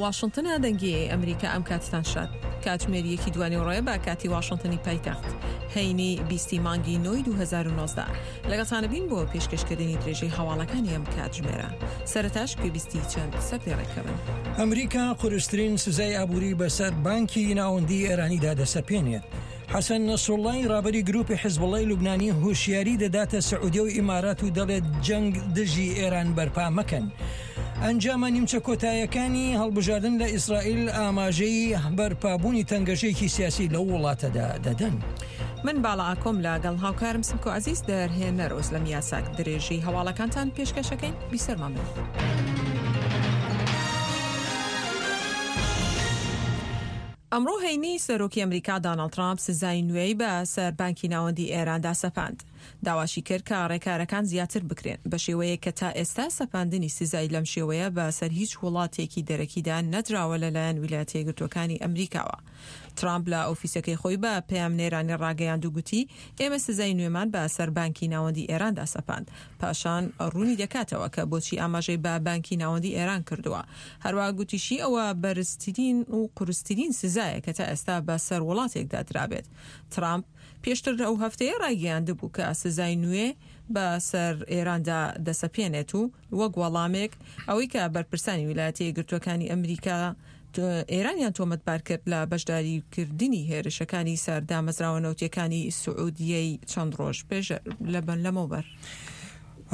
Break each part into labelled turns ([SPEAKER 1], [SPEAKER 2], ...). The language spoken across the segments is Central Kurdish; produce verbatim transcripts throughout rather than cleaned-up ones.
[SPEAKER 1] واشنتنە دەنگی ئەمریکا ئەم کاتتان شاد. کاتژمێر یەکی دوانیوەڕۆیە بە کاتی واشنتنی پایتەخت، هەینی بیستی مانگی نۆی دوو هەزار و نۆزدە. لەگەڵتانە بین بۆ پێشکەشکردنی درێژەی هەواڵەکانی ئەم کاتژمێرە. سەرەتاش گوێبیستی چەند سەردێڕێکەبن.
[SPEAKER 2] ئەمریکا قورسترین سزای ئابووری بەسەر بانکی ناوەندی ئێرانیدا دەسەپێنێت. حەسەن نەسروڵڵای ڕابەری گروپی حیزبوڵڵای لوبنانی هۆشیاری دەداتە سعودیە و ئیمارات و دەڵێت جەنگ دژی ئێران بەرپا مەکەن. ئەنجامە نیمچە کۆتایەکانی هەڵبژاردن لە ئیسرائیل ئاماژەی بەرپابوونی تەنگەژێکی سیاسی لەو وڵاتەدا دەدەن.
[SPEAKER 1] من باڵا ئاکۆم لەگەڵ هاوکارم سمکۆ عەزیز دەرهێنەر ئۆزلەم یاساک درێژەی هەواڵەکانتان پێشکەشەکەین. بیسەرمان بن. ئەمڕۆ هەینی سەرۆکی ئەمریکا داناڵد ترامپ سزای نوێی بە سەر بانکی ناوەندی ئێراندا سەپاند. داواشی کرد کە ڕێکارەکان زیاتر بکرێن بە شێوەیەک کە تا ئێستا سەپاندنی سزای لەم شێوەیە بە سەر هیچ وڵاتێکی دەرەکیدا نەدراوە لەلایەن ویلایەتە یەکگرتووەکانی ئەمریکاوە. ترامپ لە ئۆفیسەکەی خۆی بە پەیامنێرانی ڕاگەیاند و گوتی ئێمە سزای نوێمان بە سەر بانکی ناوەندی ئێراندا سەپاند. پاشان ڕوونی دەکاتەوە کە بۆچی ئاماژەی بە بانکی ناوەندی ئێران کردووە. هەروە گوتیشی ئەوە بەرزترین و قورسترین سزایە کە تا ئێستا بە سەر وڵاتێکدا درابێت. ترامپ پێشتر ئەو هەفتەیە ڕایگەیاندبوو کە سزای نوێ بە سەر ئێراندا دەسەپێنێت و وەک وەڵامێک ئەوەی کە بەرپرسانی ویلایەتە یەکگرتووەکانی ئەمریکا ئێرانیان تۆمەتبار کرد لە بەشداریکردنی هێرشەکانی سەر دامەزراوە نەوتیەکانی سعودیەی چەند ڕۆژ پێش لەمەوبەر.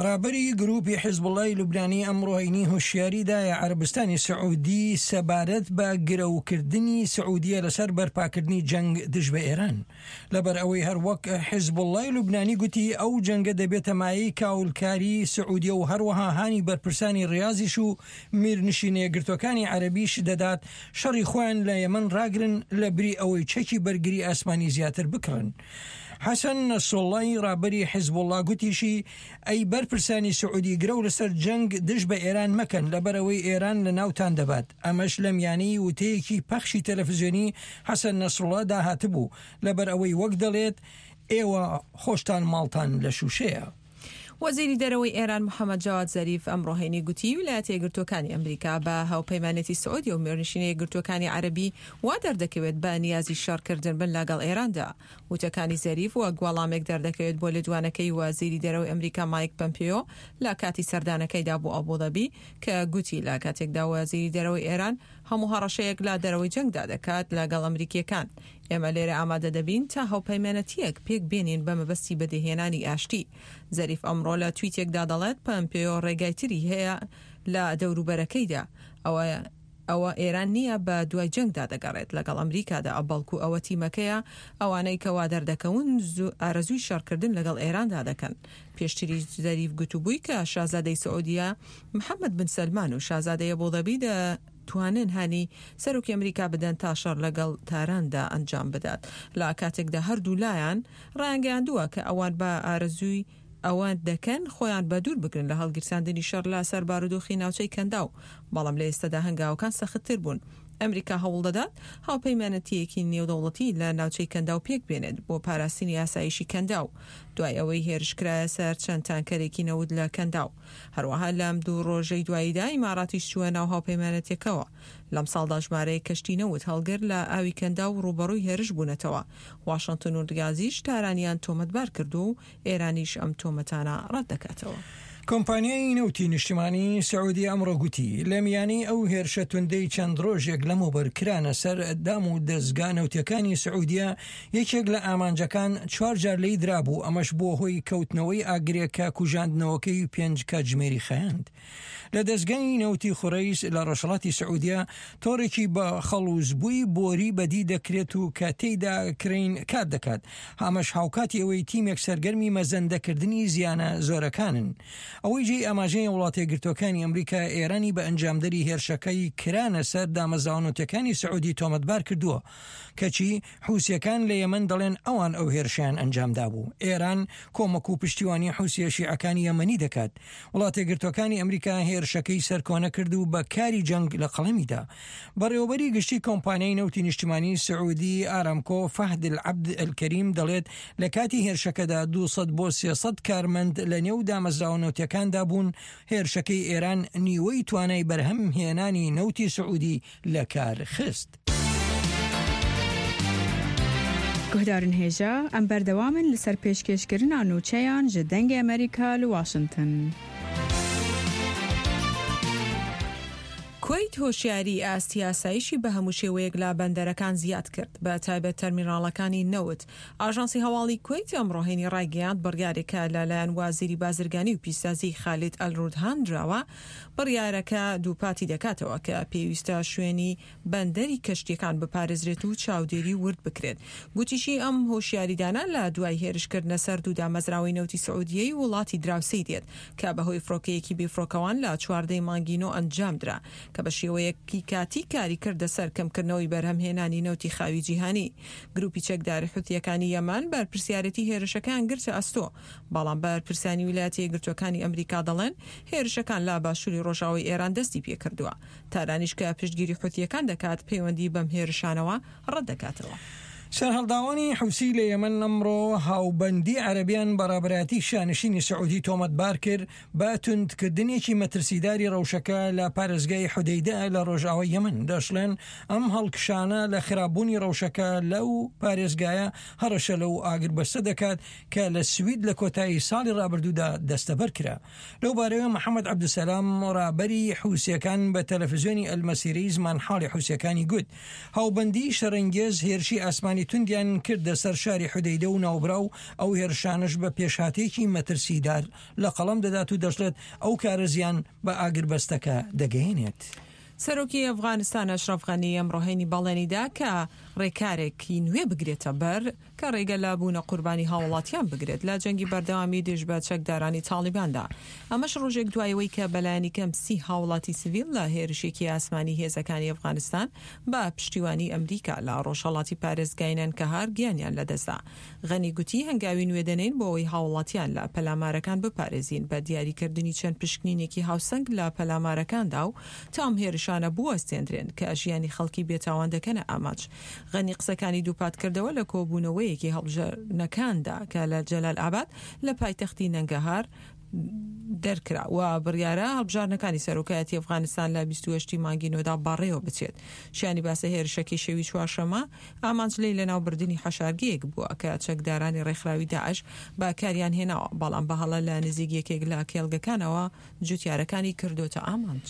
[SPEAKER 2] ڕابەری گروپی حیزبوڵڵای لوبنانی ئەمڕۆ هەینی هۆشیاری دایە عەرەبستانی سعودی سەبارەت بە گرەوکردنی سعودیە لەسەر بەرپاکردنی جەنگ دژ بە ئێران. لەبەر ئەوەی هەر وەک حیزبوڵڵای لوبنانی گوتی ئەو جەنگە دەبێتە مایەی کاولکاری سعودیە و هەروەها هانی بەرپرسانی ڕیازیش و میرنشینە یەکگرتووەکانی عەرەبیش دەدات شەڕی خۆیان لە یەمەن ڕاگرن لە بری ئەوەی چەکی بەرگری ئاسمانی زیاتر بکڕن. حەسەن نەسروڵڵای ڕابەری حیزبوڵڵا گوتیشی ئەی بەرپرسانی سعودی گرەو لەسەر جەنگ دژ بە ئێران مەکەن لەبەرەوەی ئێران لە ناوتان دەبات. ئەمەش لە میانەی وتەیەکی پەخشی تەلەفزیۆنی حەسەن نەسروڵڵا داهاتبوو لەبەر ئەوەی وەک دەڵێت ئێوە خۆشتان ماڵتان لە شووشەیە.
[SPEAKER 1] وەزیری دەرەوەی ئێران محەممەد جەواد زەریف ئەمڕۆ هەینی گوتی ویلایەتە یەکگرتووەکانی ئەمریکا بە هاوپەیمانێتی سعودیە و میرنشینە یەکگرتووەکانی عەرەبی وا دەردەکەوێت بە نیازی شەڕکردن بن لەگەڵ ئێراندا. وتەکانی زەریف وەک وەڵامێک دەردەکەوێت بۆ لێدوانەکەی وەزیری دەرەوەی ئەمریکا مایک پەمپیۆ لە کاتی سەردانەکەیدا بۆ ئەبوظەبی کە گوتی لە کاتێکدا وەزیری دەرەوەی ئێران هەموو هەڕەشەیەک لە دەرەوەی جەنگدا دەکات لەگەڵ ئەمریکیەکان. ئێمە لێرە ئامادە دەبین تا هاوپەیمانەتیەک پێک بێنین بە مەبەستی بەدیهێنانی ئاشتی. زەریف ئەمڕۆ لە تویتێکدا دەڵێت پەمپیۆ ڕێگای تری هەیە لە دەوروبەرەکەیدا. ئەوە ئەوە ئێران نییە بە دوای جەنگدا دەگەڕێت لەگەڵ ئەمریکادا، بەڵکو ئەوە تیمەکەیە ئەوانەی کەوا دەردەکەون ئارەزووی شەڕکردن لەگەڵ ئێراندا دەکەن. پێشتری زەریف گوتوبووی کە شازادەی سعودیە محەممەد بن سەلمان و شازادەی ئەبوظەبی دەتوانن هانی سەرۆکی ئەمریکا بدەن تا شەڕ لەگەڵ تاراندا ئەنجام بدات. لە کاتێکدا هەردوو لایان ڕایانگەیاندووە کە ئەوان بە ئارەزووی ئەوان دەکەن خۆیان بە دوور بگرن لە هەڵگیرساندنی شەڕ لە سەر بارودۆخی ناوچەی کەنداو، بەڵام لە ئێستادا هەنگاوەکان سەختتر بوون. ئەمریکا هەوڵ دەدات هاوپەیمانەتیەکی نێودەوڵەتی لە ناوچەی کەنداو پێک بێنێت بۆ پاراستنی ئاسایشی کەنداو دوای ئەوەی هێرش کرایە سەر چەند تانکەرێکی نەوت لە کەنداو. هەروەها لەم دوو ڕۆژەی دواییدا ئیماراتیش چووە ناو هاوپەیمانەتیەکەوە. لەم ساڵدا ژمارەیەک کەشتی نەوت هەڵگر لە ئاوی کەنداو ڕووبەڕووی هێرش بوونەتەوە. واشنتن و ڕیازیش تارانیان تۆمەتبار کردو و ئێرانیش ئەم تۆمەتانە ڕەت دەکاتەوە.
[SPEAKER 2] کۆمپانیای نەوتی نیشتمانی سعودی ئەمڕۆ گوتی لە میانەی ئەو هێرشە توندەی چەند ڕۆژێک لەمەوبەر کرانە سەر دام و دەستگا نەوتیەکانی سعودیە یەکێک لە ئامانجەکان چوار جار لێی درابوو، ئەمەش بووە هۆی کەوتنەوەی ئاگرێک کە کوژاندنەوەکەی پێنج کاتژمێری خایاند. لە دەستگای نەوتی خوڕەیس لە ڕۆژهەڵاتی سعودیە تۆڕێکی بە خەڵوزبووی بۆری بەدی دەکرێت و کە تێیدا کرین کار دەکات، ئەمەش هاوکاتی ئەوەی تیمێک سەرگەرمی مەزەندەکردنی زیانە زۆرەکانن. ئەوەی جێی ئاماژەیە وڵاتە یەکگرتووەکانی ئەمریکا ئێرانی بە ئەنجامدەری هێرشەکەی کرانە سەر دامەزراوە نەوتیەکانی سعودی تۆمەتبار کردووە، کەچی حوسیەکان لە یەمەن دەڵێن ئەوان ئەو هێرشیان ئەنجامدا بوو. ئێران کۆمەک و پشتیوانی حوسیە شیعەکانی یەمەنی دەکات. وڵاتە یەکگرتووەکانی ئەمریکا هێرشەکەی سەرکۆنە کرد و بە کاری جەنگ لە قەڵەمیدا. بەڕێوەبەری گشتی کۆمپانیای نەوتی نیشتمانی سعودی ئارامکۆ فەهد العەبد الکەریم دەڵێت لە کاتی هێرشەکەدا دوو سەد بۆ سێ سەد کارمەند لە نێو دامەزراوە نەوتیەکاندا نەوتیەکاندا بوون، هێرشەکەی ئێران نیوەی توانای بەرهەم هێنانی نەوتی سعودی لە کار خست.
[SPEAKER 3] گوهدارن هێژا ئەم بەردەوامن لەسەر پێشکێشکردنا نوچەیان ji دەنگê ئەمریکا لە واشنگتن.
[SPEAKER 1] کوەیت هۆشیاری ئاستی ئاسایشی بە هەموو شێوەیەک لە بەندەرەکان زیاد کرد، بە تایبەت تەرمیناڵەکانی نەوت. ئاژانسی هەواڵی کوەیت ئەمڕۆ هەینی ڕایگەیاند بڕیارێکە لەلایەن وازیری بازرگانی و پیشسازی خالید ئەلرودهان دراوە. بڕیارەکە دووپاتی دەکاتەوە کە پێویستە شوێنی بەندەری کەشتیەکان بپارێزرێت و چاودێری ورد بکرێت. گوتیشی ئەم هۆشیاریدانە لە دوای هێرشکردنە سەر دوو دامەزراوەی نەوتی سعودیەی وڵاتی دراوسێی دێت کە بەهۆی فڕۆکەیەکی بێفڕۆکەوان لە چواردەی مانگی نۆ ئەنجام درا کە بە شێوەیەکی کاتی کاری کردە سەر کەمکردنەوەی بەرهەمهێنانی نەوتی خاوی جیهانی. گروپی چەکداری حوتیەکانی یەمەن بەرپرسیارێتی هێرشەکان گرتە ئەستۆ، بەڵام بەرپرسانی ویلایەتە یەکگرتووەکانی ئەمریکا دەڵێن هێرشەکان لە باشووری ڕۆژاوای ئێران دەستی پێکردووە. تارانیش کە پشتگیری حوتیەکان دەکات پەیوەندی بەم هێرشانەوە ڕەت دەکاتەوە.
[SPEAKER 2] سەرهەڵداوانی حوسی لە یەمەن ئەمڕۆ هاوبەندی عەرەبیان بەڕابەرایەتی شانشینی سعودی تۆمەتبار کرد بە توندکردنێکی مەترسیداری ڕەوشەکە لە پارێزگای حودەیدە لە ڕۆژاوای یەمەن. دەشڵێن ئەم هەڵکشانە لە خراپبوونی ڕەوشەکە لەو پارێزگایە هەڕەشە لەو ئاگربەستە دەکات کە لە سوید لە کۆتایی ساڵی ڕابردوودا دەستەبەر کرا. لەو بارەیەوە محەممەد عەبدولسەلام ڕابەری حوسیەکان بە تەلەفزیۆنی ئەلمەسیرەی زمانحاڵی حوسیەکانی گوت هاوبەندی شەڕەنگێز هێرشی ئاسمانی توندیان کردە سەر شاری حودەیدە و ناوبراو ئەو هێرشانش بە پێشهاتێکی مەترسیدار لە قەڵەم دەدات و دەشڵێت ئەو کارە زیان بە ئاگربەستەکە دەگەیەنێت.
[SPEAKER 1] سەرۆکی ئەفغانستان ئەشرەف غەنی ئەمڕۆ هەینی بەڵێنیدا کە ڕێکارێکی نوێ بگرێتە بەر کە ڕێگە لە بوونە قوربانی هاوڵاتیان بگرێت لە جەنگی بەردەوامی دژ بە چەکدارانی تاڵیباندا. ئەمەش ڕۆژێک دوایەوەی کە بەلایەنی کەم سی هاوڵاتی سڤیل لە هێرشێکی ئاسمانی هێزەکانی ئەفغانستان بە پشتیوانی ئەمریکا لە ڕۆژهەڵاتی پارێزگای نەنکەهار گیانیان لەدەستدا. غەنی گوتی هەنگاوی نوێ دەنێین بۆ ئەوەی هاوڵاتیان لە پەلامارەکان بپارێزین بە دیاریکردنی چەند پشکنینێکی هاوسەنگ لە پەلامارەکاندا و تام هێرشانە بوەستێندرێن کە ژیانی خەڵکی بێتاوان دەکەنە ئامانج. غەنی قسەکانی دووپات کردەوە لە کۆبوونەوەیەکی هەڵبژاردنەکاندا کە لە جەلال ئاباد لە پایتەختی نەنگەهار دەرکرا و بڕیارە هەڵبژاردنەکانی سەرۆکایەتی ئەفغانستان لە بیست و هەشتی مانگی نۆدا بەڕێوە بچێت. شیانی باسە هێرشەکەی شەوی چوارشەممە ئامانج لێی لەناوبردنی حەشارگەیەک بووە کە چەکدارانی ڕێکخراوی داعش بەکاریان هێناوە، بەڵام بەهەڵە لە نزیک یەکێک لە کێڵگەکانەوە جوتیارەکانی کردوتە ئامانج.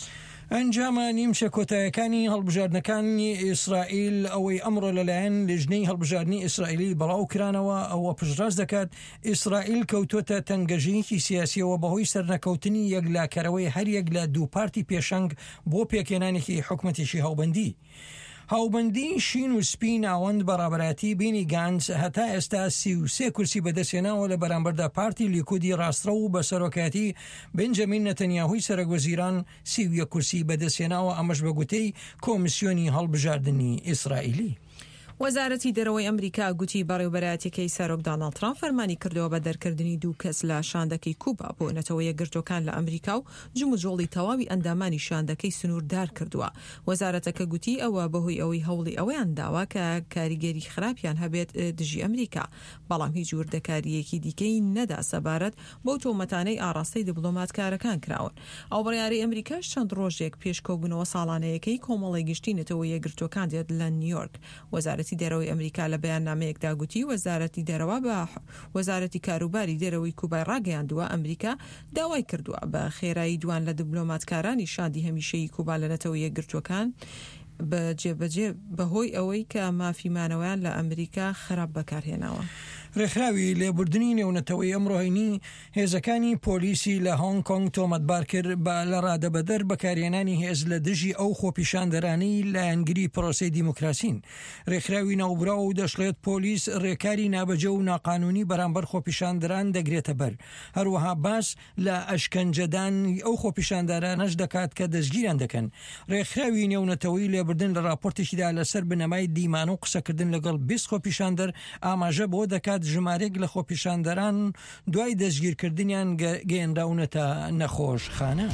[SPEAKER 2] ئەنجامە نیمچە کۆتایەکانی هەڵبژاردنەکانی ئیسرائیل ئەوەی ئەمڕۆ لەلایەن لیژنەی هەڵبژاردنی ئیسرائیلی بەڵاو کرانەوە ئەوە پشتڕاست دەکات ئیسرائیل کەوتووەتە تەنگەژەیەکی سیاسیەوە بەهۆی سەرنەکەوتنی یەکلاکەرەوەی هەریەک لە دوو پارتی پێشەنگ بۆ پێکهێنانێکی حکومەتێکی هاوبەندی. هاوبەندی شین و سپی ناوەند بەڕابەرایەتی بینی گانس هەتا ئێستا سی و سێ کورسی بەدەستهێناوە لە بەرامبەردا پارتی لیکودی ڕاستڕەو و بە سەرۆکایەتی بنجامین نەتەنیاهوی سەرۆک وەزیران سی و یەک کورسی بەدەستهێناوە، ئەمەش بە گوتەی کۆمیسیۆنی هەڵبژاردنی ئیسرائیلی.
[SPEAKER 1] وەزارەتی دەرەوەی ئەمریکا گوتی بەڕێوبەرایەتیەکەی سەرۆک داناڵد ترامپ فەرمانی کردەوە بە دەرکردنی دوو کەس لە شاندەکەی کوبا بۆ نەتەوە یەکگرتووەکان لە ئەمریکا و جموجۆڵی تەواوی ئەندامانی شاندەکەی سنووردار کردووە. وەزارەتەکە گوتی ئەوە بەهۆی ئەوەی هەوڵی ئەوەیان داوە کە کاریگەری خراپیان هەبێت دژی ئەمریکا، بەڵام هیچ وردەکاریەکی دیکەی نەدا سەبارەت بەو تۆمەتانەی ئاراستەی دیبلۆماتکارەکان کراون. ئەو بڕیارەی ئەمریکاش چەند ڕۆژێک پێش کۆبوونەوە ساڵانەیەکەی کۆمەڵی گشتی نەتەوە یەکگرتووەکان دێت لە نیویۆرک. وەزارەتی دەرەوەی ئەمریکا لە بەیاننامەیەکدا گوتی وەزارەتی دەرەوە بە وەزارەتی کاروباری دەرەوەی کوبای ڕاگەیاندووە ئەمریکا داوای کردووە بە خێرایی دوان لە دیبلۆماتکارانی شاندی هەمیشەیی کوبا لە نەتەوە یەکگرتووەکان بەجێبەجێ بەهۆی ئەوەی کە مافی مانەوەیان لە ئەمریکا خراپ بەکارهێناوە.
[SPEAKER 2] ڕێکخراوی لێبوردنی نێونەتەوەی ئەمڕۆ هەینی هێزەکانی پۆلیسی لە هۆنگ کۆنگ تۆمەتبار کرد بە لە ڕادەبەدەر بەکارهێنانی هێز لە دژی ئەو خۆپیشاندەرانەی لایەنگری پرۆسەی دیموکراسین. ڕێکخراوی ناوبراو و دەشڵێت پۆلیس ڕێکاری نابەجێ و ناقانونی بەرامبەر خۆپیشاندەران دەگرێتە بەر. هەروەها باس لە ئەشکەنجەدان ئەو خۆپیشاندەرانەش دەکات کە دەستگیران دەکەن. ڕێکخراوی نێونەتەوەی لێبوردن لە راپۆرتێکیدا لەسەر بنەمای دیمان و قسەکردن لەگەڵ بیست خۆپیشاندەر ئاماژە بۆ دەکات ژمارێک لە خۆپیشاندەران دوای دەستگیرکردنیان گەیەنراونەتە نەخۆشخانە.